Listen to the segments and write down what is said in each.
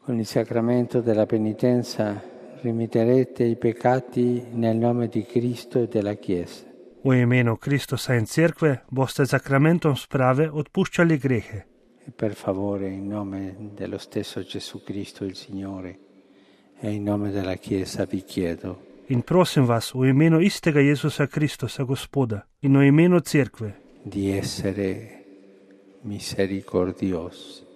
Con il sacramento della penitenza rimetterete i peccati nel nome di Cristo e della Chiesa. V imenu Kristusa in Cerkve boste sakramentom sprave odpuščali grehe. E per favore, in nome dello stesso Gesù Cristo il Signore e in nome della Chiesa vi chiedo. In prosim vas, v imenu istega Jezusa Kristusa, Gospoda, in v imenu Cerkve, Di essere misericordiosi,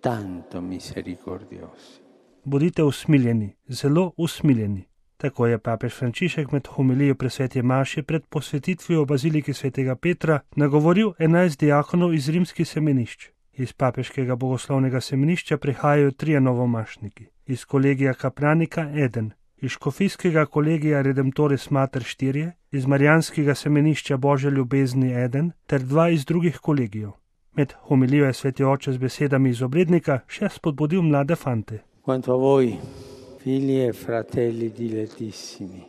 tanto misericordiosi. bodite usmiljeni, zelo usmiljeni. Tako je papež Frančišek med homilijo pri sveti maši pred posvetitvijo v baziliki svetega Petra nagovoril 11 diakonov iz rimskih semenišč. Iz papeškega bogoslovnega semenišča prihajajo 3 novomašniki, iz kolegija Kapranika 1, iz škofijskega kolegija Redemptoris Mater 4, iz marijanskega semenišča Božje ljubezni 1 ter 2 iz drugih kolegijev. Med homilijo je sveti oče z besedami iz obrednika še spodbudil mlade fante. Quanto a voi, figli e fratelli dilettissimi,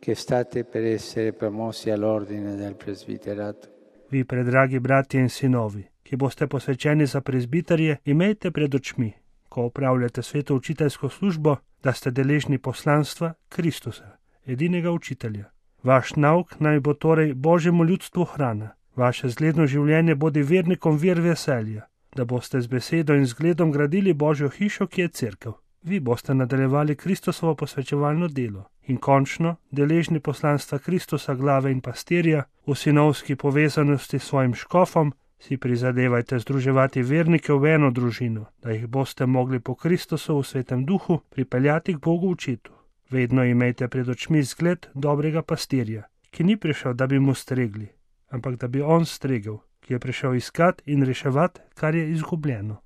che state per essere promossi all'ordine del presbiterato, Vi, predragi bratje in sinovi, ki boste posvečeni za prezbiterje, imejte pred očmi, ko opravljate sveto učiteljsko službo, da ste deležni poslanstva Kristusa, edinega učitelja. Vaš nauk naj bo torej Božjemu ljudstvu hrana, vaše zgledno življenje bodi vernikom vir veselja, da boste z besedo in zgledom gradili Božjo hišo, ki je cerkev. Vi boste nadaljevali Kristusovo posvečevalno delo in končno, deležni poslanstva Kristusa, glave in pastirja, v sinovski povezanosti s svojim škofom, si prizadevajte združevati vernike v eno družino, da jih boste mogli po Kristusu v svetem duhu pripeljati k Bogu Očetu. Vedno imejte pred očmi zgled dobrega pastirja, ki ni prišel, da bi mu stregli, ampak da bi on stregel, ki je prišel iskat in reševat, kar je izgubljeno.